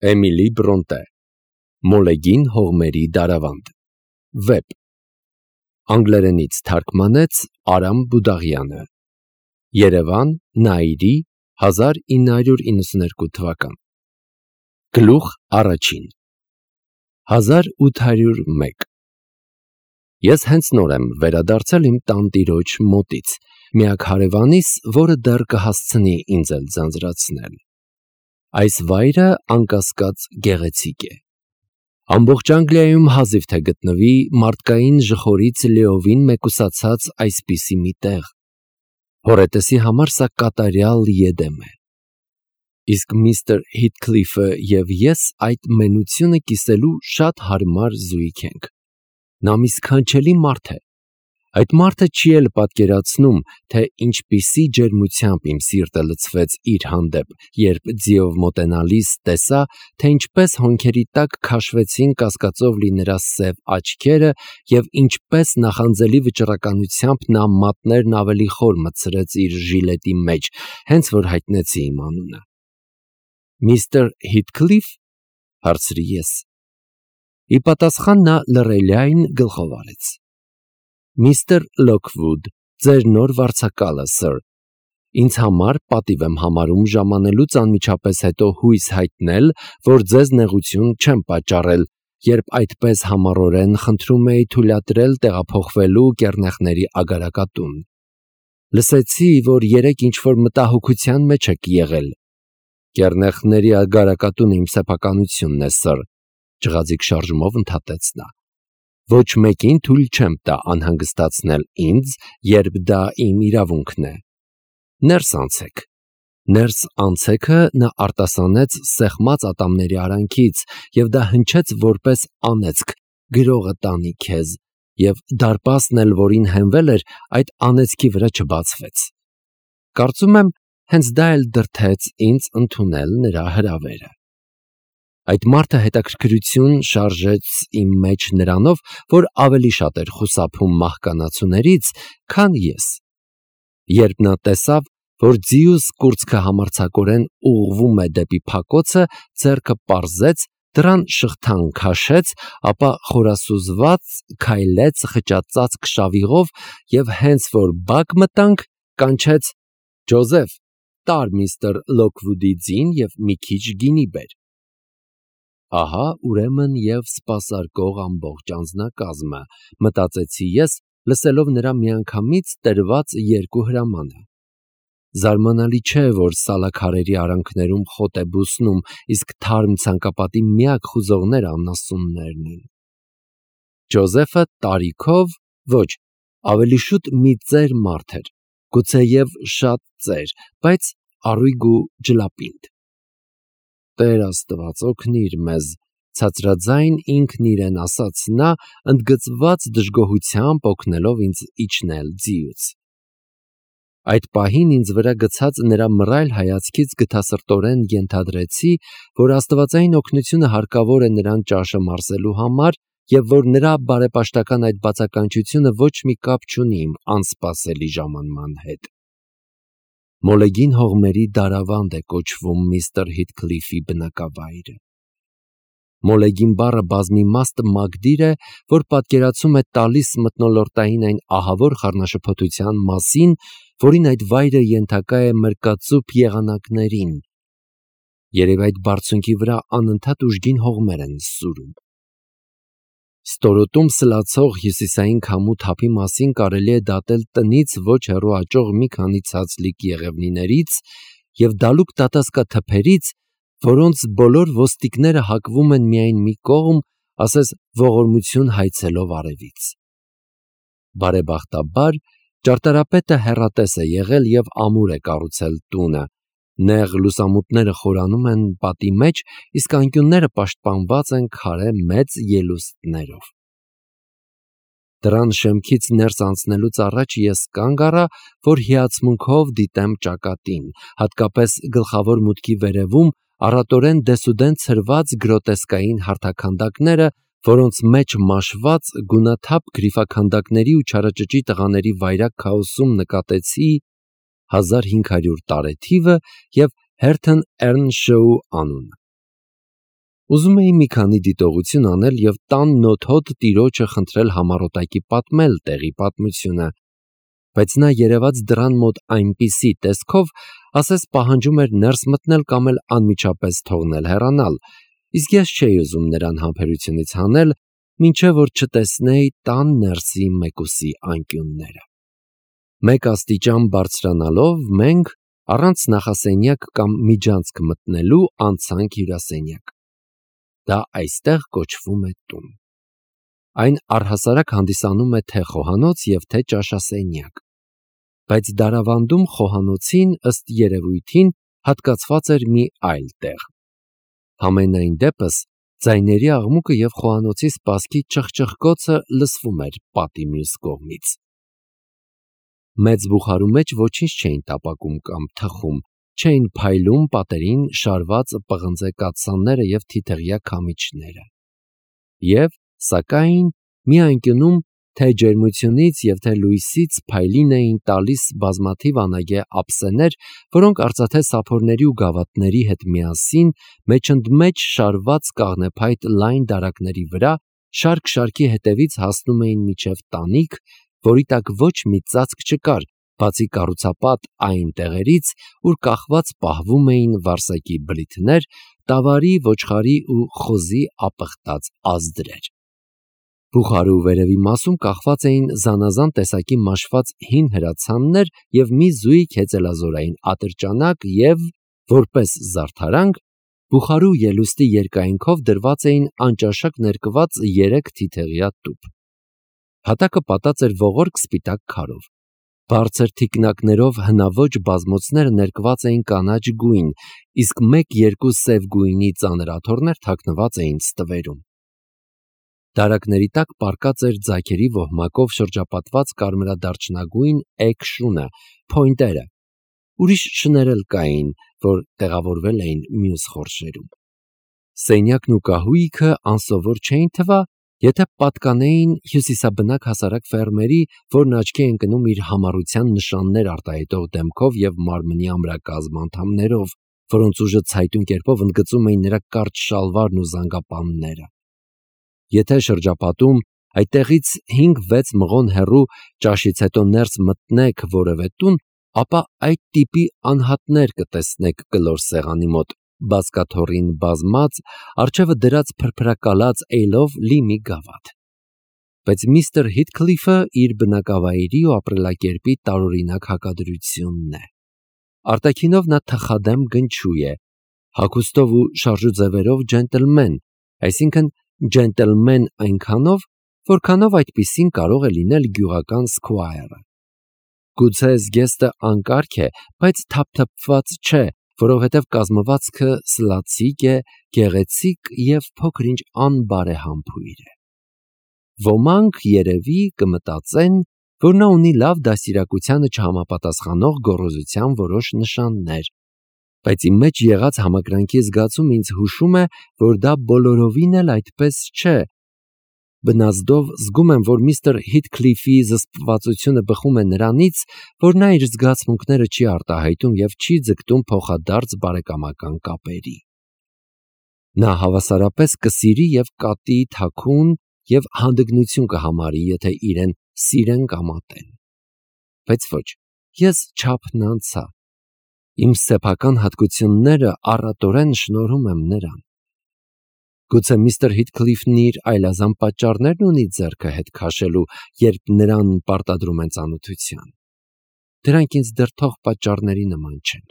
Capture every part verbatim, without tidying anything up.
Էմիլի Բրոնտե Մոլեգին հողմերի դարավանդ Վեպ Անգլերենից թարգմանեց Արամ Բուդաղյանը Երևան Նաիրի հազար ինը հարյուր իննսուներկու թվական Գլուխ առաջին հազար ութ հարյուր մեկ Ես հենց նոր եմ վերադարձել իմ տանտիրոջ մոտից, միակ հարևանիս, որը դեռ կհասցնի ինձ էլ ձանձրացնել։ Այս վայրը անկասկած գեղեցիկ է։ Ամբողջ Անգլիայում հազիվ թե գտնվի մարդկային ժխորից լիովին մեկուսացած այսպիսի մի տեղ։ Հոռետեսի համար սա կատարյալ Եդեմ է։ Իսկ միստր Հիթքլիֆը և ես այդ մենությունը կիսելու շատ հարմար զույգ ենք։ Նա մի սքանչելի մարդ է։ Այդ մարդը չի էլ պատկերացնում, թե ինչպիսի ջերմությամբ իմ սիրտը լցվեց իր հանդեպ, երբ ձիով մոտենալիս տեսա, թե ինչպես հոնքերի տակ քաշվեցին կասկածով լի նրա սև աչքերը և ինչպես նախանձելի վճռականությամբ նա մատներն ավելի խոր մտցրեց իր ժիլետի մեջ, հենց որ հայտնեցի իմ անունը։ Միստր Հիթքլիֆ, հարցրի ես։ Ի պատասխան նա լռելիայն գլխով արեց։ Միստր Լոքվուդ, ձեր նոր վարձակալը, սըր, ինձ համար պատիվ եմ համարում ժամանելուց անմիջապես հետո հույս հայտնել, որ ձեզ նեղություն չեմ պատճառել, երբ այդպես համառորեն խնդրում էի թույլատրել տեղափոխվելու կեռնեխների ագարակատուն։ Լսեցի, որ երեկ ինչ-որ մտահոգության մեջ եք եղել։ Կեռնեխների ագարակատունը իմ սեփականությունն է, սըր, ջղաձիգ շարժումով ընդհատեց նա։ Ոչ մեկին թույլ չեմ տա անհանգստացնել ինձ, երբ դա իմ իրավունքն է։ Ներս անցեք։ Ներս անցեքը նա արտասանեց սեղմած ատամների արանքից, և դա հնչեց որպես անեծք, գրողը տանի քեզ, և դարպասն էլ, որին հենվել էր, այդ անեծքի վրա չբացվեց։ Կարծում եմ, հենց դա էլ դրդեց ինձ ընդունել նրա հրավերը։ Այդ մարդը հետաքրքրություն շարժեց իմ մեջ նրանով, որ ավելի շատ էր խուսափում մահկանացուներից, քան ես։ Երբ նա տեսավ, որ ձիուս կուրծքը համարձակորեն ուղղվում է դեպի փակոցը, ձեռքը պարզեց, դռան շղթան քաշեց, ապա խորասուզված քայլեց խճածած քշավիղով և հենց որ բակ մտանք, կանչեց. «Ջոզեֆ, տար միստր Լոքվուդի ձին և մի քիչ գինի բեր»։ Ահա ուրեմն և սպասարկող ամբողջ անձնակազմը, մտածեցի ես, լսելով նրա միանգամից տրված երկու հրամանը։ Զարմանալի չէ, որ սալաքարերի արանքներում խոտ է բուսնում, իսկ թարմ ցանկապատի միակ խուզողները անասուններն են։ Ջոզեֆը տարիքով, ոչ, ավելի շուտ մի ծեր մարդ էր, գուցեև շատ ծեր, բայց առույգ ու ջլապինդ։ Տեր Աստված օգնիր մեզ, ցածրաձայն ինքն իրեն ասաց նա, ընդգծված դժգոհությամբ օգնելով ինձ իջնել ձիուց։ Այդ պահին ինձ վրա գցած նրա մռայլ հայացքից գթասրտորեն ենթադրեցի, որ աստվածային օգնությունը հարկավոր է նրան ճաշը մարսելու համար և որ նրա բարեպաշտական այդ բացականչությունը ոչ մի կապ չունի իմ անսպասելի ժամանման հետ։ Մոլեգին հողմերի դարավանդ է կոչվում միստր Հիթքլիֆի բնակավայրը։ Մոլեգին բառը բազմիմաստ մագդիր է, որ պատկերացում է տալիս մթնոլորտային այն ահավոր խառնաշփոթության մասին, որին այդ վայրը ենթակա է մրկածուփ եղանակներին։ Երևի այդ բարձունքի վրա անընդհատ ուժգին հողմեր են սուրում։ Ստորոտում սլացող հյուսիսային քամու թափի մասին կարելի է դատել տնից ոչ հեռու աճող մի քանի ցածլիկ եղևնիներից և դալուկ տատասկաթփերից, որոնց բոլոր ոստիկները հակվում են միայն մի կողմ, ասես ողորմություն հայցելով արևից։ Բարեբախտաբար, ճարտարապետը հեռատես է եղել և ամուր է կառուցել տունը, նեղ լուսամուտները խորանում են պատի մեջ, իսկ անկյունները պաշտպանված են քարե մեծ ելուստներով։ Դռան շեմքից ներս անցնելուց առաջ ես կանգ առա, որ հիացմունքով դիտեմ ճակատին, հատկապես գլխավոր մուտքի վերևում առատորեն դեսուդեն ցրված գրոտեսկային հարթաքանդակները, որոնց մեջ մաշված գունաթափ գրիֆաքանդակների ու չարաճճի տղաների վայրագ քաոսում նկատեցի հազար հինգ հարյուր տարեթիվը և Հերթն Էռնշոու անունը։ Ուզում էի մի քանի դիտողություն անել և տան նոթոտ տիրոջը խնդրել համառոտակի պատմել տեղի պատմությունը, բայց նա երևաց դռան մոտ այնպիսի տեսքով, ասես պահանջում էր ներս մտնել կամ էլ անմիջապես թողնել հեռանալ, իսկ ես չէի ուզում նրան համբերությունից հանել, մինչև որ չտեսնեի տան ներսի մեկուսի անկյունները։ Մեկ աստիճան բարձրանալով մենք, առանց նախասենյակ կամ միջանցք մտնելու, անցանք հյուրասենյակ։ Դա այստեղ կոչվում է տուն։ Այն առհասարակ հանդիսանում է թե խոհանոց և թե ճաշասենյակ, բայց դարավանդում խոհանոցին ըստ երևույթին հատկացված էր մի այլ տեղ։ Համենայն դեպս ձայների աղմուկը և խոհանոցի սպասքի ճխճխկոցը լսվում էր պատի մյուս կողմից։ Մեծ բուխարու մեջ ոչինչ չէին տապակում կամ թխում, չէին փայլում պատերին շարված պղնձե կաթսաները և թիթեղյա քամիչները։ Եվ, սակայն, մի անկյունում թե ջերմությունից և թե լույսից փայլին էին տալիս բազմաթիվ անագե ափսեներ, որոնք արծաթե սափորների ու գավաթների հետ միասին մեջընդմեջ շարված կաղնեփայտ լայն դարակների վրա շարք-շարքի հետևից հասնում էին մինչև տանիք, որի տակ ոչ մի ծածկ չկար, բացի կառուցապատ այն տեղերից, ուր կախված պահվում էին վարսակի բլիթներ, տավարի, ոչխարի ու խոզի ապխտած ազդրեր։ Բուխարու վերևի մասում կախված էին զանազան տեսակի մաշված հին հրացաններ և մի զույգ հեծելազորային ատրճանակ և, որպես զարդարանք, բուխարու ելուստի երկայնքով դրված էին անճաշակ ներկված երեք թիթեղյա տուփ։ Հատակը պատած էր ողորկ սպիտակ քարով։ Բարձր թիկնակներով հնաոճ բազմոցները ներկված էին կանաչ գույն, իսկ մեկ-երկու սև գույնի ծանր աթոռներ թաքնված էին ստվերում։ Դարակների տակ պառկած էր ձագերի ոհմակով շրջապատված կարմրադարչնագույն էգ շունը, փոյնտերը։ Ուրիշ շներ էլ կային, որ տեղավորվել էին մյուս խորշերում։ Սենյակն ու կահույքը անսովոր չէին թվա, եթե պատկանեին հյուսիսաբնակ հասարակ ֆերմերի, որն աչքի է ընկնում իր համառության նշաններ արտահայտող դեմքով և մարմնի ամրակազմ անդամներով, որոնց ուժը ցայտուն կերպով ընդգծում էին նրա կարճ շալվարն ու զանգապանները։ Եթե շրջապատում այդտեղից հինգ-վեց մղոն հեռու ճաշից հետո ներս մտնեք որևէ տուն, ապա այդ տիպի անհատներ կտեսնեք կլոր սեղանի մոտ, բազկաթոռին բազմած, առջևը դրած փրփրակալած էյլով լի մի գավաթ։ Բայց միստր Հիթքլիֆը իր բնակավայրի ու ապրելակերպի տարօրինակ հակադրությունն է։ Արտաքինով նա թխադեմ գնչու է, հագուստով ու շարժուձևերով ջենտլմեն, այսինքն ջենտլմեն այնքանով, որքանով այդպիսին կարող է լինել գյուղական սքվայրը։ Գուցե զգեստը անկարգ է, բայց թափթփված չէ, որովհետև կազմվածքը սլացիկ է, գեղեցիկ և փոքր-ինչ անբարեհամբույր է։ Ոմանք, երևի, կմտածեն, որ նա ունի լավ դաստիարակությանը չհամապատասխանող գոռոզության որոշ նշաններ, բայց իմ մեջ եղած համակրանքի զգացումը ինձ հուշում է, որ դա բոլորովին էլ այդպես չէ։ Բնազդով զգում եմ, որ միստր Հիթքլիֆի զսպվածությունը բխում է նրանից, որ նա իր զգացմունքները չի արտահայտում և չի ձգտում փոխադարձ բարեկամական կապերի։ Նա հավասարապես կսիրի և կատի թաքուն և հանդգնություն կհամարի, եթե իրեն սիրեն կամ ատեն։ Բայց ոչ, ես չափն անցա։ Իմ սեփական հատկությունները առատորեն շնորհում եմ նրան։ Գուցե միստր Հիթքլիֆն իր այլազան պատճառներն ունի ձեռքը հետ քաշելու, երբ նրան պարտադրում են ծանոթության։ Դրանք ինձ դեռ թող պատճառների նման չեն։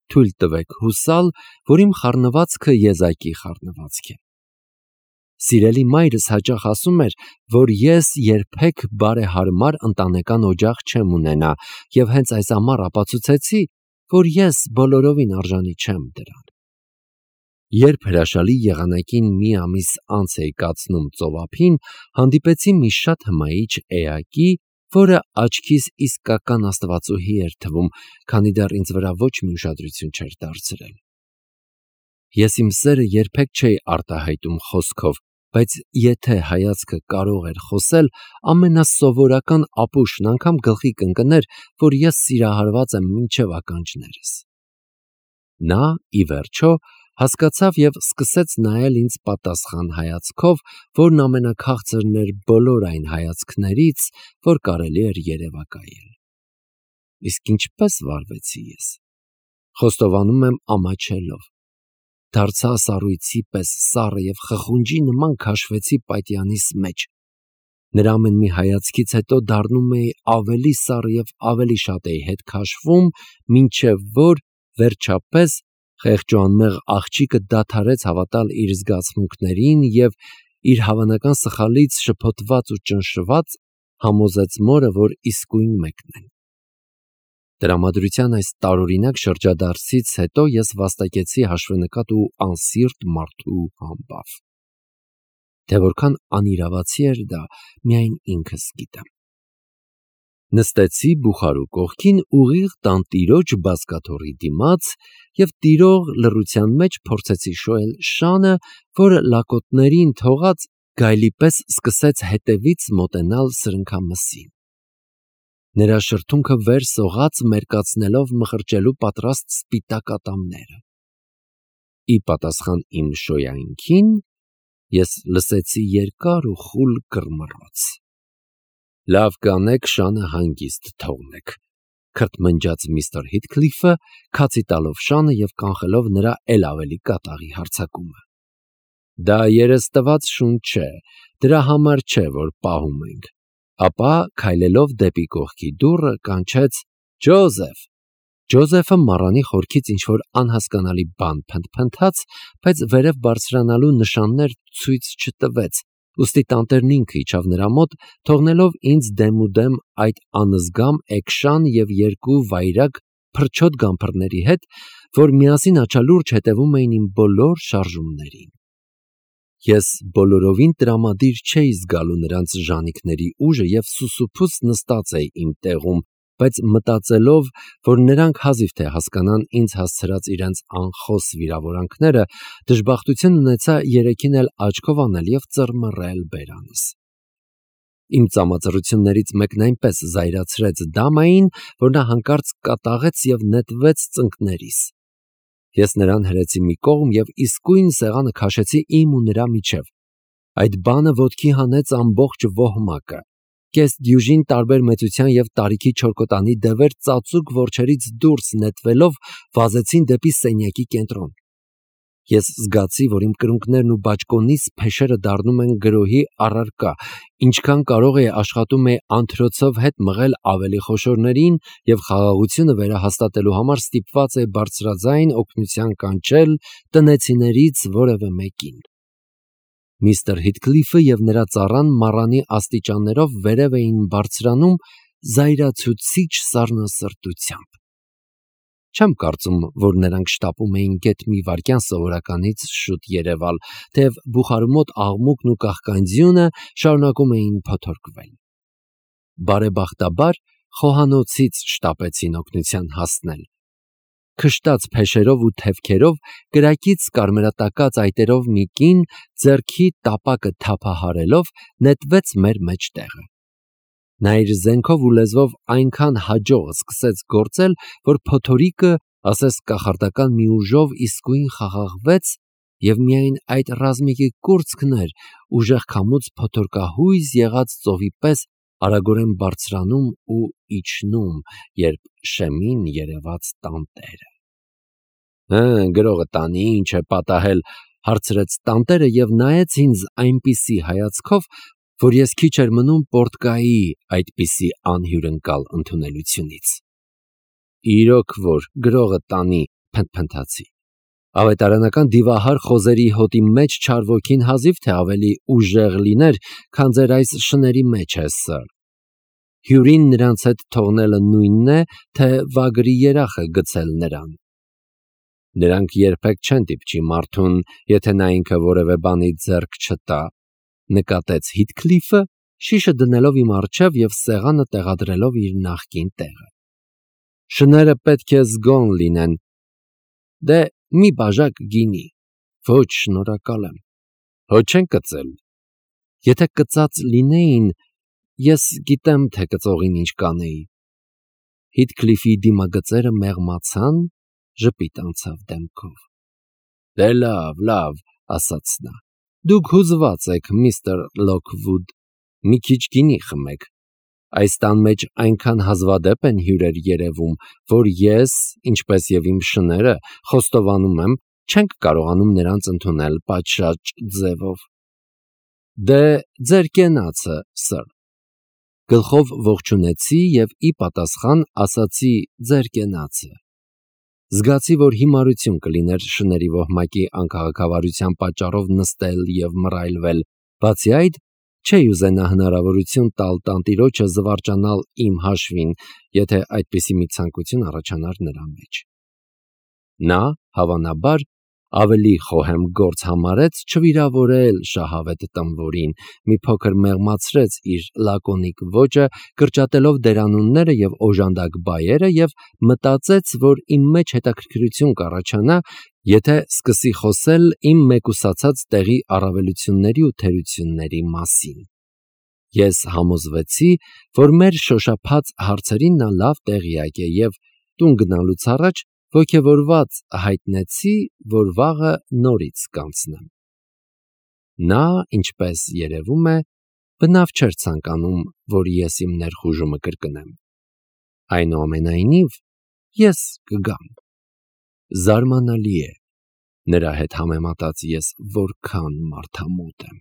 Թույլ տվեք հուսալ, որ իմ խառնվածքը եզակի խառնվածք է։ Սիրելի մայրս հաճախ ասում էր, որ ես երբեք բարեհարմար ընտանեկան օջախ չեմ ունենա, և հենց այս ամառ ապացուցեցի, որ ես բոլորովին արժանի չեմ դրան։ Երբ հրաշալի եղանակին մի ամիս անց էի կացնում ծովափին, հանդիպեցի մի շատ հմայիչ էակի, որը աչքիս իսկական աստվածուհի էր թվում, քանի դեռ ինձ վրա ոչ մի ուշադրություն չէր դարձրել։ Ես իմ սերը երբեք չէի արտահայտում խոսքով, բայց եթե հայացքը կարող էր խոսել, ամենասովորական ապուշն անգամ գլխի կընկներ, որ ես սիրահարված եմ մինչև ականջներս։ Նա, ի վերջո, Հասկացավ և սկսեց նայել ինձ պատասխան հայացքով, որն ամենաքաղցրն էր բոլոր այն հայացքներից, որ կարելի էր երևակայել։ Իսկ ինչպես վարվեցի ես։ Խոստովանում եմ ամաչելով։ Դարձա սառույցի պես սառը և խխունջի նման քաշվեցի պատյանիս մեջ։ Նրա ամեն մի հայացքից հետո դառնում էի ավելի սառը և ավելի շատ էի հետ քաշվում, մինչև որ, վերջապես, խեղճ ու անմեղ աղջիկը դադարեց հավատալ իր զգացմունքներին և, իր հավանական սխալից շփոթված ու ճնշված, համոզեց մորը, որ իսկույն մեկն են։ Տրամադրության այս տարօրինակ շրջադարձից հետո ես վաստակեցի հաշվենկատ ու անսիրտ մարդու համբավ։ Թե որքան անիրավացի էր դա, միայն ինքս գիտեմ։ Նստեցի բուխարու կողքին ուղիղ տանտիրոջ բազկաթոռի դիմաց և տիրող լռության մեջ փորձեցի շոյել շանը, որը լակոտներին թողած գայլի պես սկսեց հետևից մոտենալ սրընքամսին։ Նրա շրթունքը վեր սողաց, մերկացնելով մխրճելու պատրաստ սպիտակ ատամները։ Ի պատասխան իմ շոյայնքին ես լսեցի երկար ու խուլ կռմռոց։ «Լավ կանեք, շանը հանգիստ թողնեք», քրթմնջաց միստր Հիթքլիֆը, քացի տալով շանը և կանխելով նրա էլ ավելի կատաղի հարձակումը։ «Դա երես տված շուն չէ, դրա համար չէ, որ պահում ենք», ապա, քայլելով դեպի կողքի դուռը, կանչեց. «Ջոզեֆ»։ Ջոզեֆը մառանի խորքից ինչ-որ անհասկանալի բան փնթփնթաց, բայց վերև բարձրանալու նշաններ ցույց չտվեց, ուստի տանտերն ինքը իջավ նրա մոտ, թողնելով ինձ դեմուդեմ այդ անզգամ էկշան և երկու վայրագ փրչոտ գամփրների հետ, որ միասին աչալուրջ հետևում էին իմ բոլոր շարժումներին։ Ես բոլորովին տրամադիր չէի զգալու նրանց ժանիքների ուժը և սուսուփուց նստած էի իմ տեղում, բայց մտածելով, որ նրանք հազիվ թե հասկանան ինձ հասցրած իրենց անխոս վիրավորանքները, դժբախտություն ունեցա երեքին էլ աչքով անել և ծռմռել բերանս։ Իմ ծամածռություններից մեկն այնպես զայրացրեց դամային, որ նա հանկարծ կատաղեց և նետվեց ծնկներիս։ Ես նրան հրեցի մի կողմ և իսկույն սեղանը քաշեցի իմ ու նրա միջև։ Այդ բանը ոտքի հանեց ամբողջ ոհմակը։ Կես դյուժին տարբեր մեծության և տարիքի չորքոտանի դևեր ծածուկ որջերից դուրս նետվելով վազեցին դեպի սենյակի կենտրոն։ Ես զգացի, որ իմ կրունկներն ու բաճկոնիս փեշերը դառնում են գրոհի առարկա, ինչքան կարող էի աշխատում էի անթրոցով հետ մղել ավելի խոշորներին և խաղաղությունը վերահաստատելու համար ստիպված էի բարձրաձայն օգնության կանչել տնեցիներից որևէ մեկին։ Միստր Հիթքլիֆը և նրա ծառան մառանի աստիճաններով վերև էին բարձրանում զայրացուցիչ սառնասրտությամբ։ Չեմ կարծում, որ նրանք շտապում էին գեթ մի վայրկյան սովորականից շուտ երևալ, թեև բուխարու մոտ աղմուկն ու կաղկանձյունը շարունակում էին փոթորկվել։ Բարեբախտաբար խոհանոցից շտապեցին օգնության հասնել։ Քշտած փեշերով ու թևքերով, կրակից կարմրատակած այտերով մի կին, ձեռքի տապակը թափահարելով, նետվեց մեր մեջտեղը։ Նա իր զենքով ու լեզվով այնքան հաջող սկսեց գործել, որ փոթորիկը, ասես կախարդական մի ուժով, իսկույն խաղաղվեց, և միայն այդ ռազմիկի կուրծքն էր ուժեղ քամուց փոթորկահույզ եղած ծովի պես արագորեն բարձրանում ու իջնում, երբ շեմին երևաց տանտերը։ «Հը, գրողը տանի, ինչ է պատահել», հարցրեց տանտերը և նայեց ինձ այնպիսի հայացքով, որ ես քիչ էր մնում պոռթկայի այդպիսի անհյուրընկալ ընդունելությունից։ «Իրոք որ, գրողը տանի», փնթփնթացի։ «Ավետարանական դիվահար խոզերի հոտի մեջ չար ոգին հազիվ թե ավելի ուժեղ լիներ, քան ձեր այս շների մեջ է, սըր։ Հյուրին նրանց հետ թողնելը նույնն է, թե վագրի երախը գցել նրան։ Նրանք երբեք չեն դիպչի մարդուն, եթե նա ինքը որևէ բանի ձեռք չտա», նկատեց Հիթքլիֆը, շիշը դնելով իմ առջև և սեղանը տեղադրելով իր նախկին տեղը։ «Շները պետք է զգոն լինեն։ Դե, մի բաժակ գինի»։ «Ոչ, շնորհակալ եմ»։ «Հո չեն կծել»։ «Եթե կծած լինեին, ես գիտեմ, թե կծողին ինչ կանեի»։ Հիթքլիֆի դիմագծերը մեղմացան, ժպիտ անցավ դեմքով։ Դե լավ, լավ, ասաց նա։ Դուք հուզված եք, միստր Լոքվուդ, մի քիչ գինի խմեք։ Այս տան մեջ այնքան հազվադեպ են հյուրեր երևում, որ ես, ինչպես և իմ շները, խոստովանում եմ, չենք կարողանում նրանց ընդունել պատշաճ ձևով։ Դե ձեր կենացը, սըր։ Գլխով ողջունեցի և ի պատասխան ասացի ձեր կենացը։ Զգացի, որ հիմարություն կլիներ շների ոհմակի անքաղաքավարության պատճառով նստել և մռայլվել, բացի այդ, չէի ուզենա հնարավորություն տալ տանտիրոջը զվարճանալ իմ հաշվին, եթե այդպիսի մի ցանկություն առաջանար նրա մեջ։ Նա, հավանաբար, ավելի խոհեմ գործ համարեց չվիրավորել շահավետ տմբորին, մի փոքր մեղմացրեց իր լակոնիկ ոճը, կրճատելով դերանունները և օժանդակ բայերը և մտածեց, որ իմ մեջ հետաքրքրություն կառաջանա, եթե սկսի խոսել իմ մեկուսացած տեղի առավելությունների ու թերությունների մասին։ Ես համոզվեցի, որ մեր շոշափած հարցերին նա լավ տեղյակ է և տուն գնալուց առաջ ոգևորված հայտնեցի, որ վաղը նորից կանցնեմ։ Նա, ինչպես երևում է, բնավ չէր ցանկանում, որ ես իմ ներխուժումը կրկնեմ։ Այնուամենայնիվ, ես կգամ։ Զարմանալի է, նրա հետ համեմատած ես որքան մարդամոտ եմ։